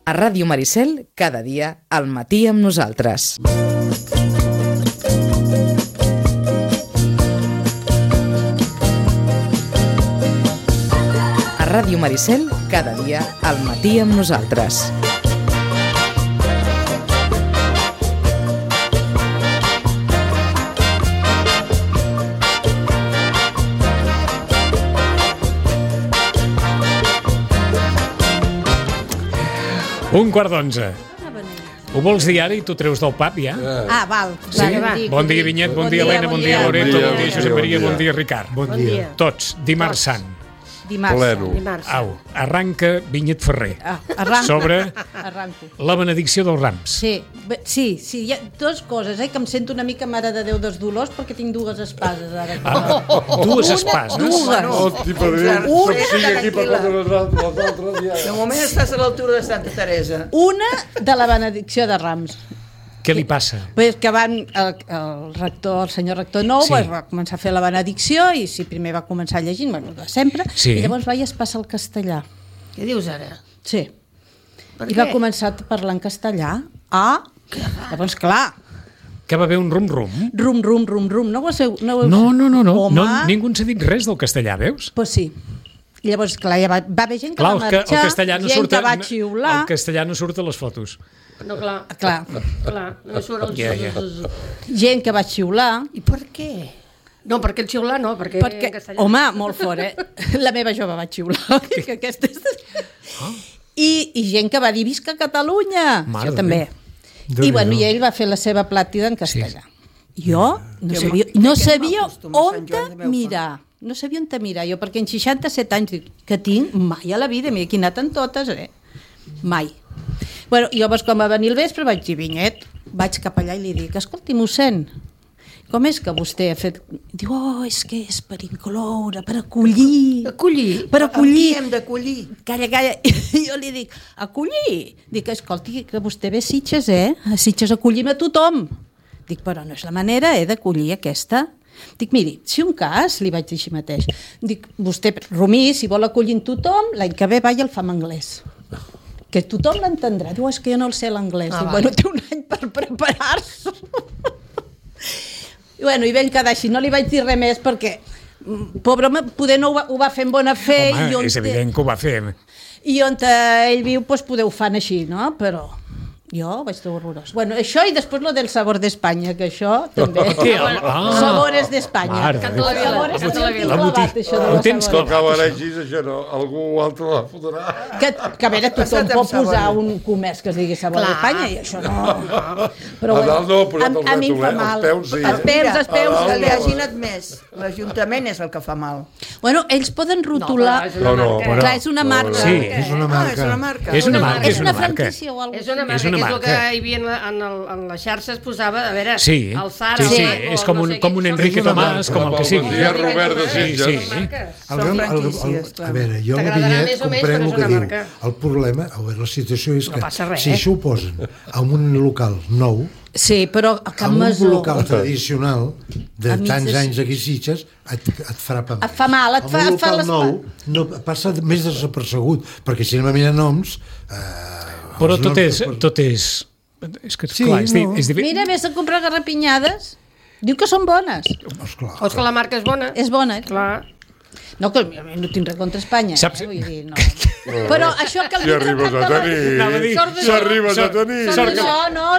A Ràdio Maricel, cada dia, al matí amb nosaltres. A Ràdio Maricel, cada dia, al matí amb nosaltres. Un quart d'11. Ho vols dir ara i tu treus del pap, ja? Ah, val. Sí? Bon dia, Vinyet, bon dia, Helena, bon dia, Loreto, bon dia, Josep Maria, bon dia, Ricard. Bon dia. Tots, dimarts sant. Dimarts. Au, arranca Vinyet Ferrer. Arranca. Sobre Arranco. la benedicció dels rams. Sí, hi ha dues coses, que em sento una mica Mare de Déu dels Dolors perquè tinc dues espases ara. Dues espases. Dues. Hosti, per Déu, soc sigui aquí per contra les altres. De moment estàs a l'altura de Santa Teresa. Una de la benedicció de Rams. Què li passa? Pues que el rector, el senyor rector nou, Sí. va començar a fer la benedicció i primer va començar llegint, de sempre, Sí. i llavors va i es passa al castellà. Què dius ara? Sí. Per I què? va començar a parlar en castellà. Llavors, clar, Que va haver un rum-rum? rum, no ho sé... No. Home, Ningú ens ha dit res del castellà, veus? pues sí. I llavors, clar, ja va haver gent que Clar, va el marxar, castellà no gent surt que va xiular. el castellà no surt a les fotos. No, clar. Clar, No surt el... Ja. gent que va xiular. I per què? No, perquè el xiular no, perquè Perquè, en castellà... home, molt fort, La meva jove va xiular. Que aquesta és... I gent que va dir visca Catalunya. Mare Jo de també. Déu. I bueno, i ell va fer la seva plàtida en castellà. Jo no sabia que on Sant Joan de meu mirar. No sabia on mirar jo, perquè en 67 anys que tinc, mai a la vida, m'he anat en totes, Mai. Bueno, i llavors quan va venir el vespre vaig dir, Vinyet, vaig cap allà i li dic, escolti, mossèn, com és que vostè ha fet... Diu, és que és per incloure, per acollir. Acollir? Per acollir. Aquí hem d'acollir. Calla. I jo li dic, acollir? Dic, escolti, que vostè ve a Sitges, A Sitges acollim a tothom. Dic, però no és la manera, d'acollir aquesta. Dic, miri, si un cas, li vaig dir així mateix, dic, vostè, Romí, si vol acollir tothom, l'any que ve va i el fa en anglès. Que tothom l'entendrà. Diu, és que jo no el sé l'anglès. Dic, bueno, té un any per preparar-se. I vam quedar així. No li vaig dir res més perquè, pobre home, poder no ho va fer en bona fe. Home, és evident que ho va fer. I on ell viu, doncs, poder ho fan així, no? Però jo ho vaig trobar horrorós. Bueno, això i després lo del sabor d'Espanya, que això també. Què? Sabores d'Espanya. Mare Canta la vila, Sabores canta la vila. Ho tens No acaba així, això no. Algú altre la fotrà. Que a veure, tothom pot posar un comerç que es digui sabor d'Espanya i això no. Però A dalt no, però a mi em fa mal. els peus sí. Els peus. Que li hagin admès. L'Ajuntament és el que fa mal. Bueno, ells poden rotular... No, Clar, és una marca. Sí, És una marca. És una marca. És una marca. És una franquícia o alguna És una marca, És una que és el que marca. hi havia en les xarxes, posava, a veure, Sí, el Zara... sí, o és com no un, sé com què, un són Enrique És una Tomàs, com el que marca. sigui. Bon dia, Robert de Sí, Sitges. sí. Són franquícies, A veure, jo la T'agradarà Vinyet més o menys, comprenc però el és que una diu. marca. El problema, a veure, la situació és No que passa res, si això ho posen en un local nou, Sí, però a Can en un Masó... local tradicional de A mig tants de- anys aquí a Sitges, et farà pa. Et fa mal, et fa En un local les... nou no passa més desapercebut, perquè si anem a mirar noms... Però els tot noms- és... És que, Sí, clar, no. és difícil. Mira, vés a comprar garrapinyades. Diu que són bones. Esclar. O és que la marca és bona. És bona, Clar. No, que no tinc res contra Espanya. Saps- Vull dir, no. Però això que el Si arribes a tenir... Anava a dir, Si arribes a tenir...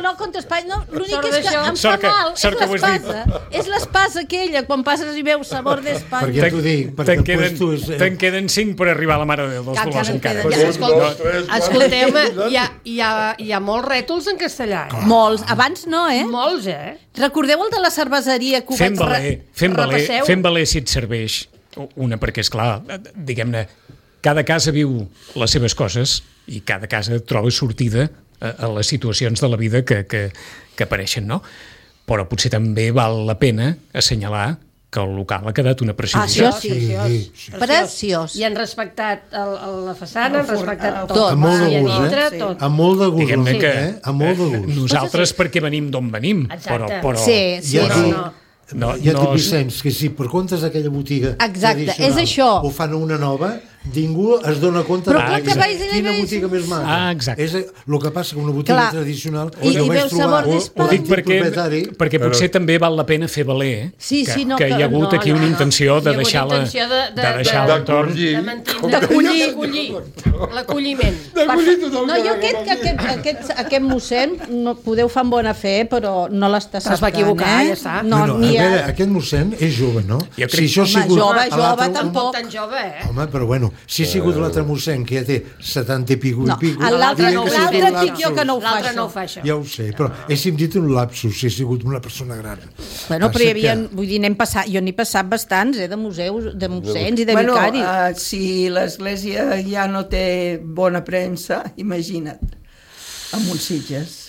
No, contra Espanya. No, l'únic Sort és que d'això. em fa Sort que- mal. sort que ho has dit. És l'espasa aquella, quan passes i veus sabor d'Espanya. Perquè ja t'ho dic, perquè Te'n tu és... te'n queden 5 per arribar a la Mare de Déu dels Encara Dolors en encara. queden. Ja, Un, dos, tres, quatre, Escolteu-me, cinc, hi ha molts rètols en castellà. Molts. Abans no, Molts, Recordeu el de la cerveseria que ho Fem vaig... valer si et serveix. Una, perquè, esclar, diguem-ne, cada casa viu les seves coses i cada casa troba sortida a les situacions de la vida que apareixen, no? Però potser també val la pena assenyalar que el local ha quedat una preciositat. Això sí. Preciós. I han respectat la façana, han respectat tot. Amb molt de I a gust, dintre, eh? tot. Amb molt de gust, Diguem-ne que amb molt de gust. nosaltres perquè venim d'on venim, Exacte. però Sí, Ja sí. dic, no, ja et no, dic, Vicenç, que si per comptes d'aquella botiga Exacte, tradicional és això. ho fan a una nova, ningú es dona compte Però de clar que vais i quina veus. botiga més maca. Exacte. El que passa que una botiga Clar. tradicional I jo vaig veus trobar sabor Ho dic propietari, perquè potser també val la pena fer valer Sí, sí, no, que hi ha hagut no, aquí no, una no. intenció de Hi ha hagut deixar intenció de deixar l'entorn. de mantenir, d'acollir l'acolliment. No, jo aquest mossèn, no, podeu fer amb bona fe, però no l'està Però es va acceptant, equivocar, eh? ja està. No, a ni veure, ha... aquest mossèn és jove, no? Jo crec- Si això ha Home, sigut jove, a l'altre- tampoc. Tan jove, Home, però bueno, si ha sigut l'altre mossèn que ja té 70 i pico No, i pico... l'altre no ho fa. dic jo que no ho fa, L'altre això. no ho fa, això. Ja ho sé, però he sentit un lapsus si ha sigut una persona gran. Bueno, però hi havia, Passa vull dir, jo n'he passat bastants, de museus, de mossens i de vicaris. Si l'església ja no té bona premsa, imagina't, amb uns Sitges.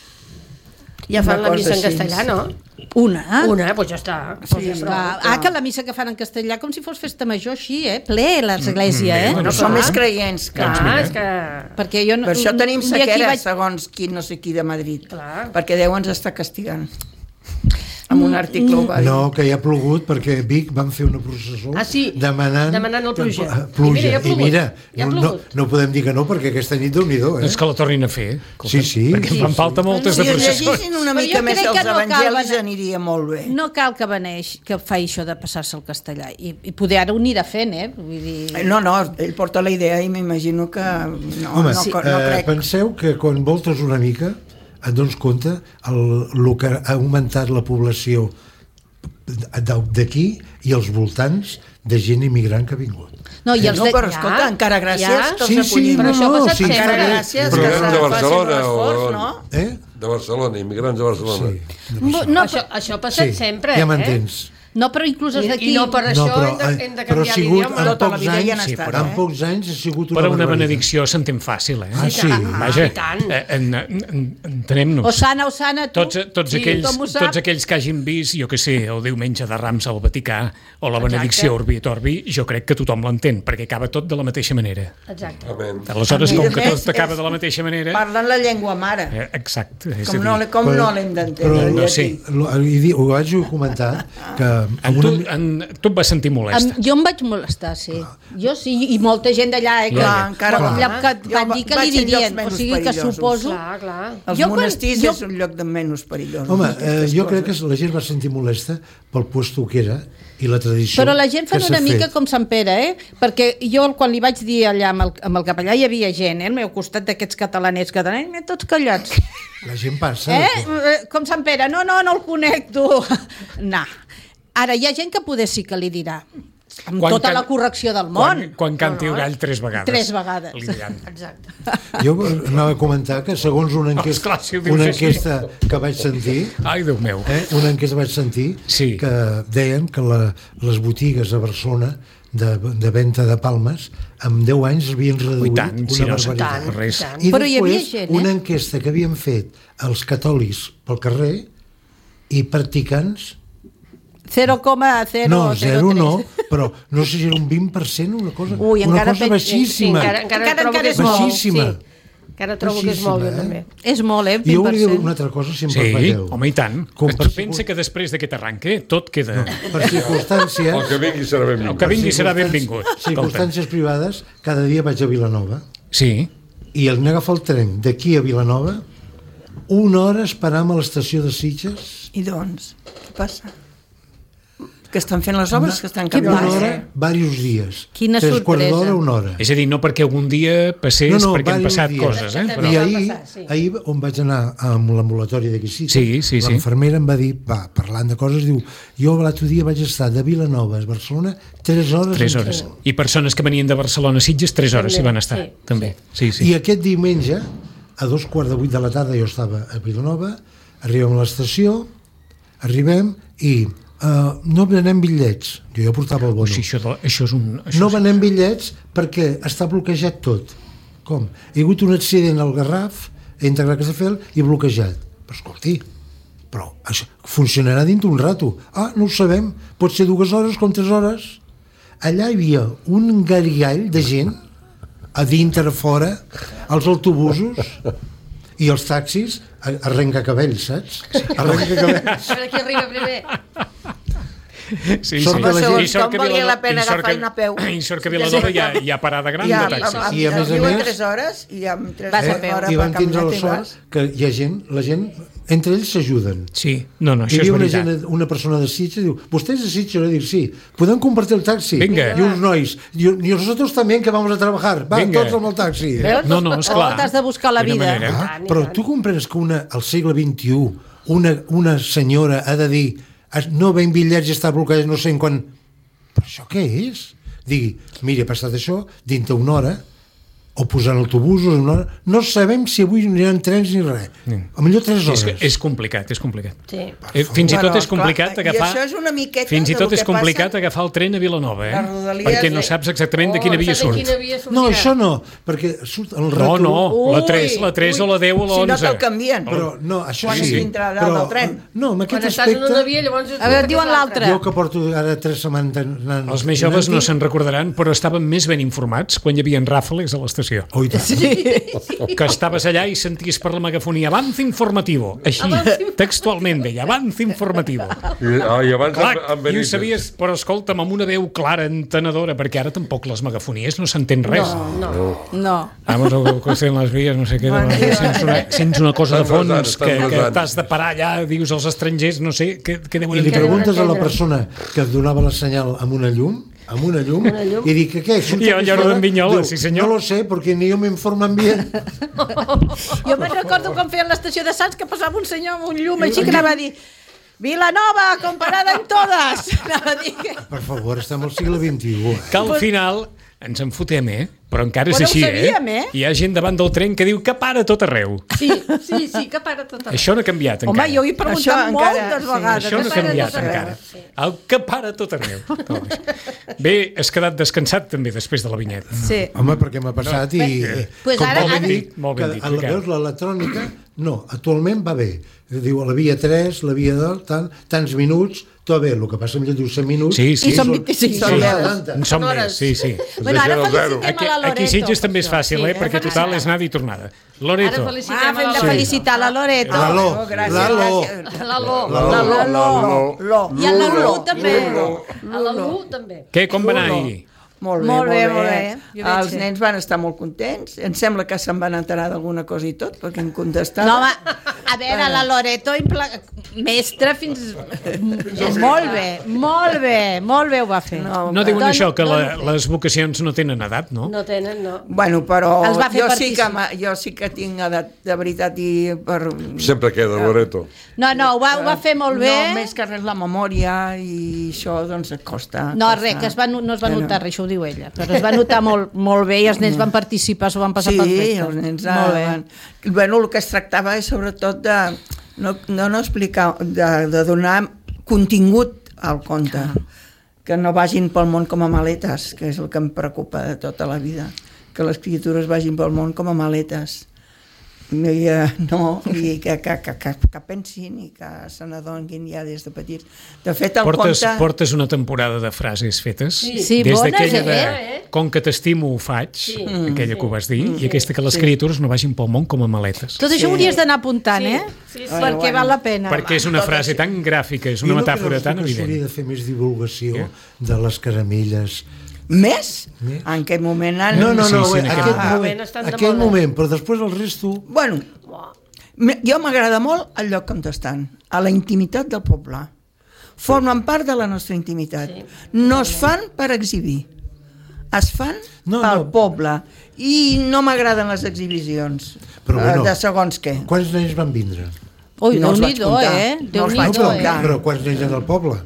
Ja fan Una la missa en cosa així. castellà, no? Una? Una, doncs ja està. Sí, Clar. Que la missa que fan en castellà com si fos festa major així, ple l'església, Bueno, som més creients que... Clar, és que... Perquè jo no... Per això tenim un dia aquí sequera, vaig- segons qui no sé qui de Madrid. Clar. Perquè Déu ens està castigant. Amb un article ho va dir. No, que hi ha plogut perquè a Vic van fer una processó Ah, sí, demanant el pluja. pluja. I mira, ja ha plogut. I mira, Ja ha no, plogut. no podem dir que no perquè aquesta nit Déu-n'hi-do, És que la tornin a fer. Sí, sí. Perquè em fan falta moltes Si de es processons. llegissin una Però mica jo més crec que els no cal evangelis anar- aniria molt bé. No cal que faci això de passar-se al castellà. I poder ara ho anirà fent, Vull dir... No, ell porta la idea i m'imagino que no, Home, no crec. penseu que quan voltes una mica et dones compte el que ha augmentat la població d'aquí i els voltants de gent immigrant que ha vingut. No, i els No, de... però escolta, encara gràcies Ja. que els Sí, sí, acollim. Però això ha passat sempre. Encara gràcies Però que eren de facin Barcelona, l'esforç, o- no? De Barcelona, immigrants de Barcelona. Sí. No, Això ha passat sempre, ja m'entens. no, però inclús els d'aquí... I no per això hem de però ha canviar sigut l'idioma. en Tota la pocs vida hi han anys, estat, en pocs anys ha sigut una Però una barbaritat. benedicció s'entén fàcil, Ah, sí? Vaja, i tant. entenem-nos. Osana, tu. Tots Sí, aquells tothom ho sap. que hagin vist, jo que sé, el diumenge de Rams al Vaticà o la benedicció Urbi et Orbi, jo crec que tothom l'entén, perquè acaba tot de la mateixa manera. Exacte. Amén. Aleshores, I com de que més, tot acaba de la mateixa manera... Parlen la llengua mare. Exacte. És Com a no, dir, no l'hem d'entendre. no el sé. llatí. Ho vaig comentar que tu et vas sentir molesta. Jo em vaig molestar, sí. Jo sí, i molta gent d'allà, Clar, encara que va. van dir que Vaig li en llocs dirien. O menys sigui que perillosos. suposo... Clar. Els Jo quan- monestirs jo- és un lloc de menys perillós. Home, jo crec que la gent va sentir molesta pel puesto que era i la tradició. Però la gent fa que una s'ha mica fet. com Sant Pere, Perquè jo, quan li vaig dir allà amb el capellà, hi havia gent, al meu costat d'aquests catalanets, tots callats. La gent passa. Com Sant Pere, no el conec, tu. No. Ara, hi ha gent que poder sí que li dirà, amb tota la correcció del món. Quan canti el gall 3 vegades. 3 vegades. Li diran. Exacte. Jo anava a comentar que segons una Esclar, si ho dius una així. enquesta que vaig sentir, Ai, Déu meu. una enquesta vaig sentir Sí. que deien que les botigues a Barcelona de venda de palmes en 10 anys havien reduït tant, si una no, barbaritat. tant, res. tant. I Però hi havia després gent, una enquesta que havien fet els catòlics pel carrer i practicants 0,003. no, 0 no, però no sé si era un 20%, una cosa, Ui, una encara cosa penso- baixíssima. Encara trobo que és molt, molt. baixíssima. Sí. Encara trobo que és molt, jo també. És molt, I jo volia dir 20%. una altra cosa, si em Sí, permeteu. home, i tant. Com Tu per pensa que després d'aquest arranque tot queda... Per circumstàncies... El que vingui serà benvingut. El que vingui serà benvingut. Escolta. Circumstàncies privades, cada dia vaig a Vilanova Sí, i al agafar el tren d'aquí a Vilanova, 1 hora esperam a l'estació de Sitges, I doncs, què passa? Que estan fent les obres, que estan Què canviant. una passa? hora, diversos dies. Quina 3 quarts sorpresa. d'hora, 1 hora. és a dir, no perquè algun dia passés, perquè han diversos passat dies. coses, però... I va ahir, passar, sí. ahir, on vaig anar amb l'ambulatori d'aquí Sitges, Sí. l'enfermera em va dir, parlant de coses, diu, jo l'altre dia vaig estar de Vilanova a Barcelona 3 hores. 3 en hores. tren. I persones que venien de Barcelona a Sitges, 3 hores s'hi van estar, Sí, també. Sí. I aquest diumenge, a 2:15 de la tarda, jo estava a Vilanova, arribem a l'estació, arribem i no venem bitllets. Jo ja portava el bono. O sigui, això és un... Això No venem bitllets perquè està bloquejat tot. Com? Hi ha hagut un accident al Garraf, entre Castelldefels, i bloquejat. Però escolti, però això funcionarà dintre un rato. No ho sabem, pot ser 2 hores com 3 hores. Allà hi havia un garigall de gent, a dintre, a fora, als autobusos i els taxis, arrenca cabells, saps? Arrenca cabells. A veure qui arriba primer. Sí, Sort que la gent- I sort Com valia la pena i sort agafar una peu. I sort que a Vilanova hi ha parada gran Ja, de taxis. I a més a diuen més- 3 hores i amb 3 Vas a hores peu. fora I per van tindre la caminar i sort vas. que hi ha gent, la gent, entre ells s'ajuden. Sí, no, Hi això és havia una, veritat. una persona de Sitges diu, vostès de Sitges, jo dic, sí, podem compartir el taxi. Vinga. I uns nois, i nosotros también que vamos a trabajar, va, Vinga. tots amb el taxi. Veus? No, esclar. T'has de buscar la Quina vida. manera. Ah, però tu comprens que al segle XXI una senyora ha de dir no ven bitllets i està bloquejat no sé en quan... Però això què és? Digui, mira, ha passat això, dintre una hora, o posant autobusos en una hora, no sabem si avui aniran trens ni res. A millor 3 hores. És complicat, és complicat. Sí. Fins i tot Bueno, és complicat clar, agafar... i això és una miqueta Fins i del tot que és complicat passa. agafar el tren a Vilanova, Les Rodalies, perquè no saps exactament de quina via surt. No, això no, perquè surt el No, rètol... no, la 3 o la 10 o la 11. Si no te'l canvien. Però, no, això Quan sí. dintre del tren. No, amb Quan aquest estàs en una aspecte... via, llavors... A veure, diuen l'altre. Jo que porto ara 3 setmanes anant... Els més joves no se'n recordaran, però estaven més ben informats quan hi havia ràfales a l'estació. Oh, i tant. Que estaves allà i senties per la megafonia avance informativo, així, textualment deia, avance informativo. I abans Clar, amb i ho Benítez. sabies, però escolta'm, amb una veu clara, entenedora, perquè ara tampoc les megafonies no s'entén res. No. Vamos a coser en les vies, no sé què, sents una cosa de fons Estan que resant. t'has de parar allà, dius als estrangers, no sé, què deuen I li entendre. preguntes a la persona que et donava la senyal amb una llum, i dic, què? I el lloro d'en Vinyola, sí, senyor. No lo sé, porque ni yo me informan bien. Jo me'n recordo quan feien l'estació de Sants que passava un senyor amb un llum així que anava a dir Vilanova, comparada en todas. Anava a dir que... Per favor, estem al segle XXI. Que al final ens en fotem, però encara és Però ho així, sabíem, Hi ha gent davant del tren que diu que para tot arreu. Sí, que para tot. Això no ha canviat Home, encara. jo ho he preguntat Això encara, moltes sí. vegades. Això no ha Que para canviat tot arreu. encara. El que para tot arreu. Bé, has quedat descansat també després de la vinyeta. Sí. Home, perquè m'ha passat i... Pues com ara- vol ara- dir molt ben dit, que Ricard. veus l'electrònica, no, actualment va bé. Diu, la via 3, la via 2, tants minuts, tot bé. El que passa millor diu 100 minuts... Sí, sí. I són 25 són hores. 10. En som més, sí, sí. Bueno, ara Deixem el zero. felicitem a la Loreto. Aquí Sitges també és fàcil, Sí, perquè total és anada i tornada. Loreto. Ara felicitem Fem de felicitar la Loreto. L'Aló, gràcies, l'Aló. gràcies. L'Aló. I a la Lu també. A la Lu també. Què, com va anar ahir? Molt Molt bé, bé, molt molt bé. bé. Jo veig Els que- nens van estar molt contents. Em sembla que se'n van enterar d'alguna cosa i tot, perquè em contestaven. No, home, a veure, la Loreto, mestre fins... Molt bé ho va fer. No diuen Dona- això, que dona- les vocacions no tenen edat, no? No tenen, no. Bueno, però Els va fer jo sí que tinc edat de veritat i per... Sempre queda, Loreto. No, ho va fer molt bé. No, més que res la memòria i això, doncs, et costa. No, costa. res, que no es va notar res, això ho diu ella, però es va notar molt bé i els nens van participar, s'ho van passar Sí, perfecte. els nens Molt bé. van... Bueno, el que es tractava és sobretot de no explicar, de donar contingut al conte, que no vagin pel món com a maletes, que és el que em preocupa de tota la vida, que les criatures vagin pel món com a maletes. I que pensin i que se n'adonguin ja des de petits. De fet, el conte... Portes una temporada de frases fetes, Sí, des bones, d'aquella de eh? com que t'estimo ho faig, aquella que ho vas dir, i aquesta que les criatures no vagin pel món com a maletes. Tot això ho hauries d'anar apuntant, Sí, perquè val la pena. Perquè és una frase tan gràfica, és una metàfora tan que evident. s'hauria de fer més divulgació de les caramelles. Més? En què moment han... No, Sí, sí, en aquell moment, però després el resto... Bueno, jo m'agrada molt el lloc on estan, a la intimitat del poble. Formen part de la nostra intimitat. No es fan per exhibir, es fan pel poble. I no m'agraden les exhibicions de segons què. Quants nens van vindre? Ui, No els vaig Déu-n'hi-do, comptar. No els vaig Déu-n'hi-do, comptar. Però quants nens hi ha del poble?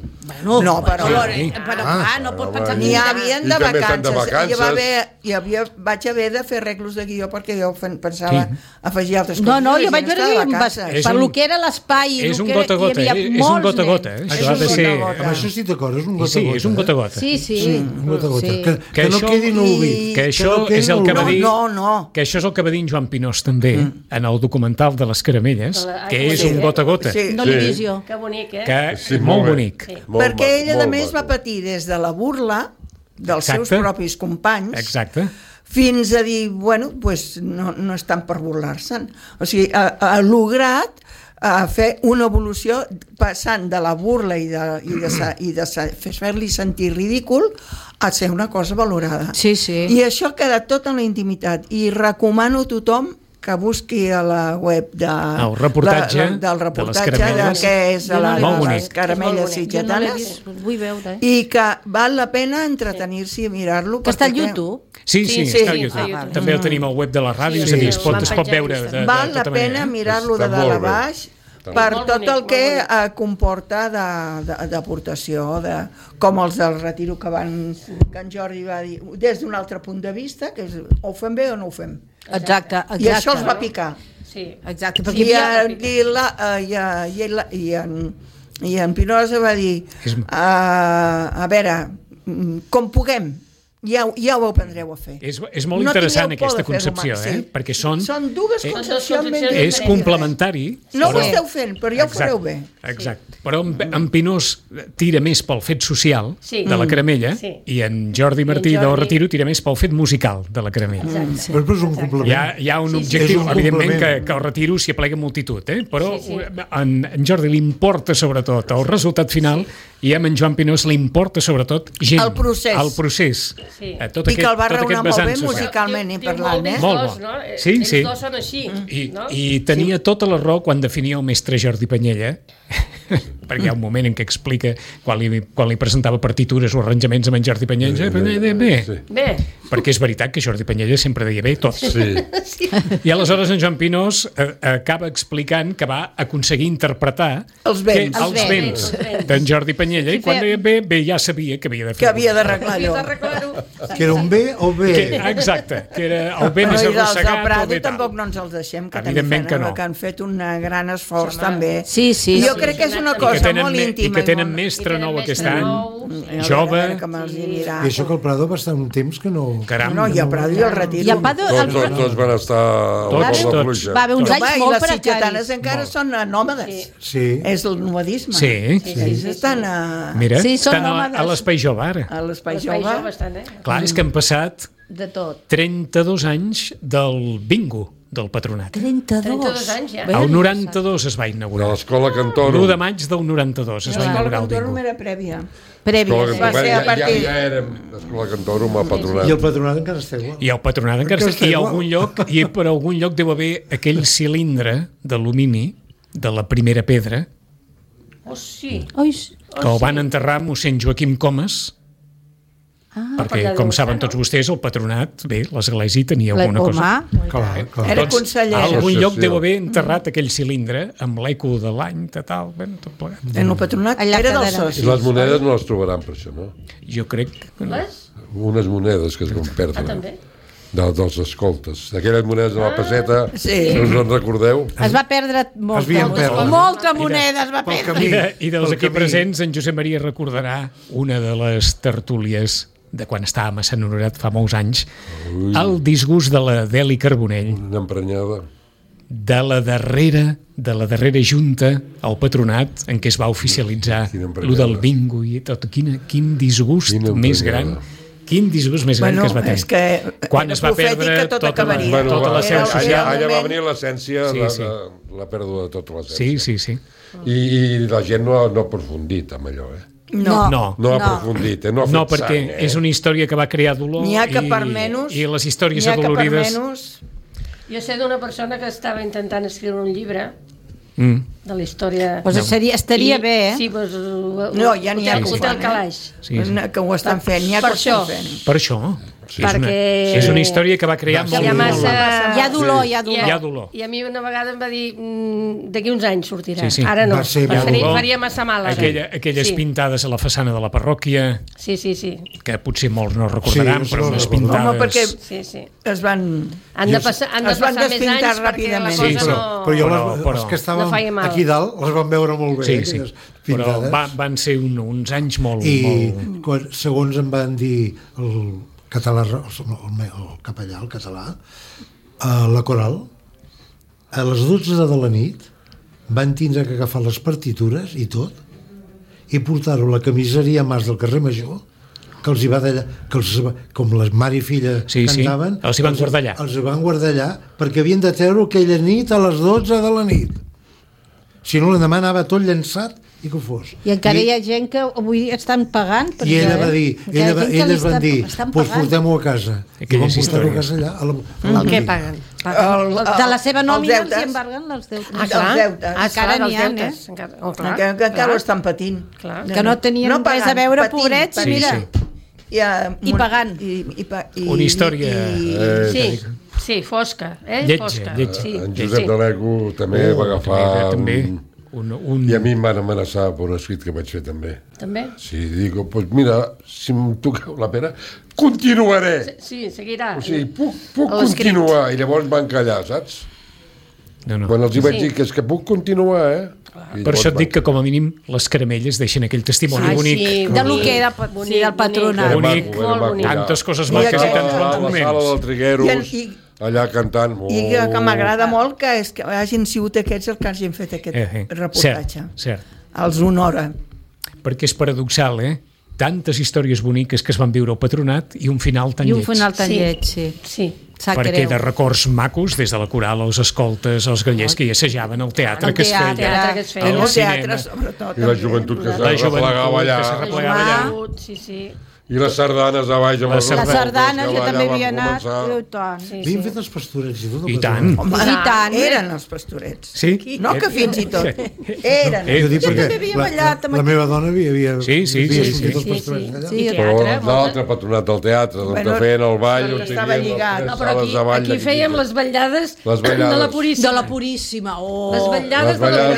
No, però... Però clar, no pot pensar que N'hi havien de I també estan de vacances. vacances. Vaig haver de fer arreglos de guió perquè jo pensava afegir altres coses. No, La jo gent vaig veure està de que vacances. És per un- lo que era l'espai i És lo un que era- gota a gota, hi havia és un molts gota a gota. nens. Això ha de un ser... gota a gota. Amb això estic d'acord, és un gota a Sí, gota. és un gota a gota. Sí. Un gota a gota. Sí. Que no això- quedi en l'oblit. Que això no quedi és el en que va l'oblit. dir... No. Que això és el que va dir en Joan Pinós també, en el documental de les caramelles, que és un gota a gota. Sí. No visió. Que bonic, eh? Que Sí, és molt molt bé. bonic. Perquè ella, a molt més, va maco. patir des de la burla dels Exacte. seus propis companys Exacte. fins a dir, bueno, pues no és tant per burlar-se'n. O sigui, ha lograt fer una evolució passant de la burla i de fer-li sentir ridícul a ser una cosa valorada. Sí, sí. I això ha quedat tot en la intimitat. I recomano a tothom que busqui a la web el reportatge del reportatge de les caramelles. que és de les caramelles sitgetanes, Vull veure. i que val la pena entretenir-s'hi i mirar-lo. Que està al YouTube. Sí, està al sí, YouTube. També el tenim al web de la ràdio, és a dir, es pot veure de val la tota pena manera. mirar-lo de Està dalt a molt bé. baix per Molt tot bonic, el que molt comporta d'aportació, com els del retiro que en Jordi va dir, des d'un altre punt de vista, que és ho fem bé o no ho fem. Exacte. I això els va picar. Sí. Exacte, perquè I en Pinoza va dir, a veure, com puguem, ja ho aprendreu a fer. És molt interessant aquesta concepció, perquè són dues concepcions ben és complementari. No ho esteu fent, però ja ho fareu bé. Exacte. Però en Pinós tira més pel fet social de la caramella i en Jordi Martí del Retiro tira més pel fet musical de la caramella. Però és un complement. Hi ha un objectiu, evidentment, que el Retiro s'hi aplega multitud, però en Jordi li importa sobretot el resultat final i a en Joan Pinós li importa sobretot gent. El procés. El procés. Sí. I que el va raonar molt bé musicalment i parlant, Molt bo. Sí. Ells dos són així. I tenia tota la raó quan definia el mestre Jordi Panyella, perquè hi ha un moment en què explica quan li presentava partitures o arranjaments amb en Jordi Panyella, bé, perquè és veritat que Jordi Panyella sempre deia bé tots. I aleshores en Joan Pinós acaba explicant que va aconseguir interpretar els vents d'en Jordi Panyella i quan deia bé ja sabia que havia de fer. Que havia d'arreglar allò. Que era un bé o bé. Exacte, que era el bé més arrossegat. I dels Prado tampoc no ens els deixem, que han fet un gran esforç també. Sí. Jo crec que és una cosa molt íntima. I que tenen mestre nou aquest any, jove. I això que el Prado va estar un temps que no... Caram. No, i el Prado i el Retiro. Tots van estar a la pluja. Va haver uns anys I molt les precaris. sitgetanes encara són nòmades. Sí. És el nomadisme. Sí. Ells estan Mira, són estan a l'Espai Jove ara. a l'espai jove. Clar, és que han passat De tot. 32 anys del bingo del Patronat. 32 anys, ja. El 92 es va De inaugurar. l'escola Cantoro. L'1 de maig del 92 es va inaugurar el bingo. Era prèvia. Prèvies. Va ser a partir- Ja érem l'escola Cantoro amb el Patronat. I el Patronat encara està igual. I el Patronat encara està i per algun lloc deu haver aquell cilindre d'alumini de la primera pedra Oh, sí. que el van enterrar a mossèn Joaquim Comas, perquè, com saben tots vostès, el Patronat, bé, l'església tenia alguna cosa. Clar. Era conseller. A algun lloc Associació. deu haver enterrat aquell cilindre amb l'eco de l'any, tal, ben, tot plegat. En el Patronat Allà era dels quedarà. I socis. les monedes no les trobaran per això, no? Jo crec que no. Les? Unes monedes que es van perdre. També. Dels escoltes. D'aquelles monedes de la peseta, Sí. no us en recordeu? Es va perdre havien perdut. molta moneda, es va Pel perdre. camí. I dels Pel aquí camí. presents, en Josep Maria recordarà una de les tertúlies de quan estàvem a Sant Honorat fa molts anys, el disgust de la Deli Carbonell, Una emprenyada. de la darrera junta al Patronat en què es va oficialitzar Quina lo emprenyada. del bingo i tot. Quin disgust Quina més emprenyada. gran. Quin disgust més gran que es va tenir. és que Quan era es va profètic perdre que tot acabaria. tota la seu Era el social. Allà va moment- venir l'essència, Sí. la pèrdua de tota l'essència. Sí. I la gent no ha aprofundit amb allò, No. No ha aprofundit, no ha fet No, perquè sang, és una història que va crear dolor N'hi ha que per menys... i les històries n'hi ha que per adolorides... menys... Jo sé d'una persona que estava intentant escriure un llibre Mm. de la història... Pues estaria bé, eh? Sí, pues, No, ja n'hi ha que ho Hotel fan, Calaix. Sí. que ho estan fent, n'hi ha que Per ho estan això. fent. Per això. Sí. Perquè- És una història que va crear molt Hi ha dolor. massa... Hi ha dolor, hi ha dolor. Hi ha dolor. I a mi una vegada em va dir d'aquí uns anys sortirà. Sí. Ara no, Va ser faria massa mal. ara. Aquelles sí. pintades a la façana de la parròquia, Sí. que potser molts no recordaran, Sí, però no unes recordo. pintades... Home, perquè Sí. es van... Han de passar Es van més despintar anys perquè la ràpidament. cosa Sí, no... Però jo Però- les que estàvem no feia mal. aquí dalt les vam veure molt bé, Sí. aquelles Però pintades. van ser uns anys molt... I molt... segons em van dir el català, el capellà, el català, la coral, a les 12 de la nit van tindre que agafar les partitures i tot i portar-ho a la camiseria Mas del carrer Major, que els hi va d'allà, com les mare i filla Sí, cantaven, els hi van guardar allà. Els hi van guardar allà perquè havien de treure aquella nit a les 12 de la nit. Si no, l'endemà anava tot llançat i que ho fos. I encara hi ha gent que avui estan pagant. I ella va dir, elles van dir, doncs portem-ho a casa. I vam portar-ho a casa allà. El què paguen? De la seva nòmina els hi embarguen els deutes. Ah, clar. Els deutes. Encara n'hi ha, Que encara ho estan patint. Que no tenien res a veure, pobrets, mira. I pagant. Una història... Sí, fosca. Lletja. En Josep de l'Ego també va agafar... I a mi em van amenaçar per un escrit que vaig fer també. També? Sí, digo, pues mira, si em toqueu la pera, continuaré. Sí, seguirà. O sigui, puc continuar. I llavors van callar, saps? Quan els hi vaig dir que és que puc continuar, Per això et dic que com a mínim les caramelles deixen aquell testimoni bonic. De lo que era el patronat. Bonic, tantes coses maques i tants bons moments. A la sala del Trigueros, allà cantant. I que m'agrada molt que hagin sigut aquests els que hagin fet aquest reportatge. Cert. Els honora. Perquè és paradoxal, tantes històries boniques que es van viure al patronat i un final tan lleig. I un final tan lleig, sí. Perquè de records macos, des de la coral, els escoltes, els gallers que hi assajaven, el teatre que es feia, el teatre, sobretot. I la joventut que se replegava allà. I les sardanes a baix. Les sardanes, jo també havia anat. Havien fet els pastorets i tot. I tant. I tant. Eren els pastorets. Sí? No que fins i tot. Eren. Jo també havia ballat. La meva dona havia sortit els pastorets allà. Però l'altre patronat del teatre, on feien el ball, on lligat. No, però aquí fèiem les vetllades de la Puríssima. De la Puríssima. Les vetllades de la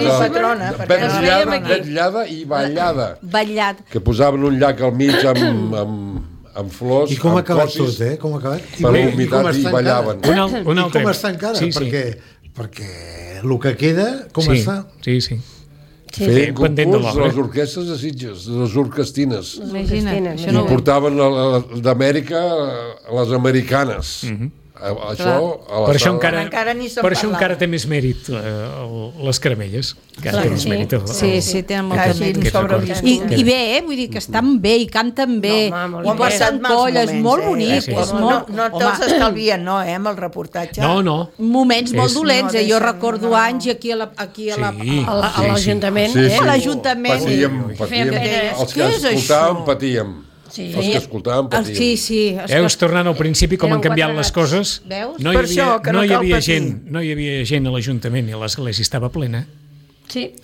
Puríssima. Vetllada i ballada. Ballat. Que posaven un llac al mig amb flors, i com ha acabat tot, com ha acabat? Per la humitat i ballaven. I com està encara? Perquè el que queda, com està? Sí. Feien concurs de les orquestres de Sitges, de les orquestines. Imagina't. I portaven d'Amèrica a les americanes. Això, per això encara té més mèrit les caramelles. Sí, tenen molt de mèrit. I bé, vull dir que estan bé i canten bé, i passen colles, molt bonic. No te'ls estalvien, amb el reportatge. No. Moments molt dolents, jo recordo anys aquí a l'Ajuntament. A l'Ajuntament. Patíem. Els que escoltàvem patíem. Els que escoltàvem patíem. Sí. Veus, tornant al principi, com han canviat les coses. No hi havia gent a l'Ajuntament i l'església estava plena.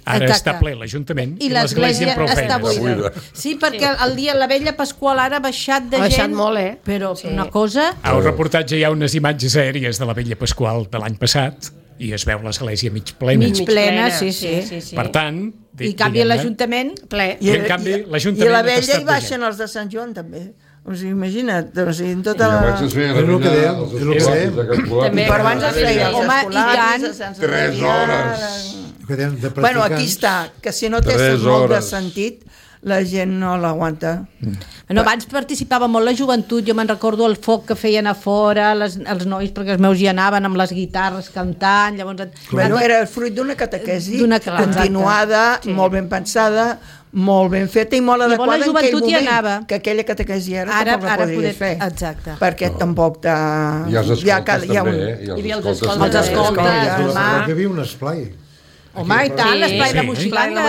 Ara està ple l'Ajuntament i l'església amb prou feines. Sí, perquè el dia la vella Pasqual ara ha baixat de gent. Ha baixat molt, però una cosa... Al reportatge hi ha unes imatges aèries de la vella Pasqual de l'any passat i es veu l'església mig plena. Mig plena, sí. Per tant... I canvi l'Ajuntament ple. I en canvi l'Ajuntament... I a la vella hi baixen els de Sant Joan també. O sigui, imagina't, en tota la... És el que dèiem. Per abans es feia els escolaris, 3 hores. Bueno, aquí està, que si no té molt de sentit, la gent no l'aguanta. Abans participava molt la joventut, jo me'n recordo el foc que feien a fora, els nois, perquè els meus hi anaven amb les guitarres cantant, llavors... Era el fruit d'una catequesi continuada, molt ben pensada, molt ben feta i molt adequada en aquell moment, que aquella catequesi ara tampoc la podries fer. Exacte. Perquè tampoc t'ha... I els escoltes també, Hi havia els escoltes. Hi havia un esplai. Home, i tant, l'esplai de Moixiganga,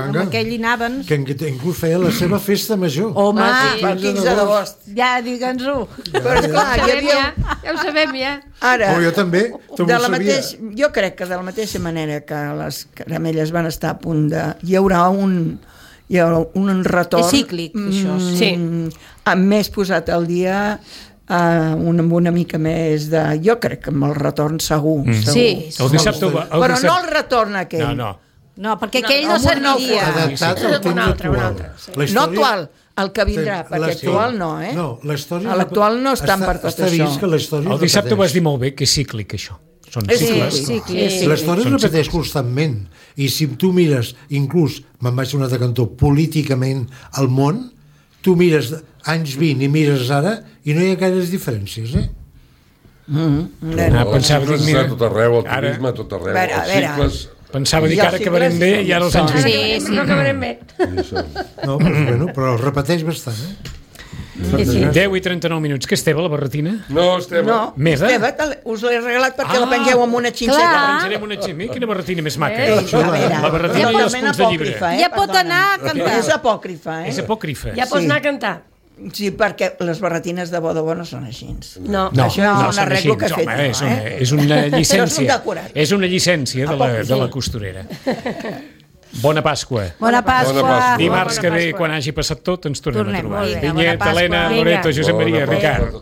amb aquell hi anaven. Que inclús feia la seva festa major. Home, el 15 d'agost. Ja, digue'ns-ho. Però esclar, hi havia... Ja ho sabem, ja. Ara, jo també, jo crec que de la mateixa manera que les caramelles van estar a punt de... Hi haurà un retorn... És cíclic, això. Sí. Amb més posat al dia... amb una mica més de... Jo crec que amb el retorn segur. Sí. Però no el retorn aquell. No, perquè aquell no serviria. Adaptat al temps actual. No actual, el que vindrà, perquè actual no, No, l'actual no estan per tot això. El dissabte ho vas dir molt bé, que és cíclic, això. Són cicles. L'història es repeteix constantment. I si tu mires, inclús, me'n vaig a un altre cantó, políticament al món, tu mires anys 20 i mires ara i no hi ha gaires diferències, Pensava dir, mira, tot arreu, el turisme, tot arreu, els cicles... Pensava dir que ara acabarem bé i ara els anys 20. Sí, no acabarem bé. No, però es repeteix bastant, Sí. 10 i 39 minuts. Què, Esteve, la barretina? No, Esteve. No, Meva? Esteve, us l'he regalat perquè la pengeu amb una xinceta. Clar. Pensarem una ximia. Quina barretina més maca. A veure, La barretina i els punts de llibre. Ja pot anar a cantar. És apòcrifa, És apòcrifa. Ja pots anar a cantar. Sí, perquè les barretines de bo no són així. No. Això és un són arreglo que he així. fet Home, jo, és una Això és un llicència. decorat. És una llicència de la costurera. Bona Pasqua. Bona Pasqua. Bona Pasqua. Dimarts que ve, Pasqua. quan hagi passat tot, ens tornem a Tornem, trobar. molt bé. Vinyet, Bona Pasqua. Helena, Vinga. Loreto, Josep Maria, Bona Ricard. Pasqua.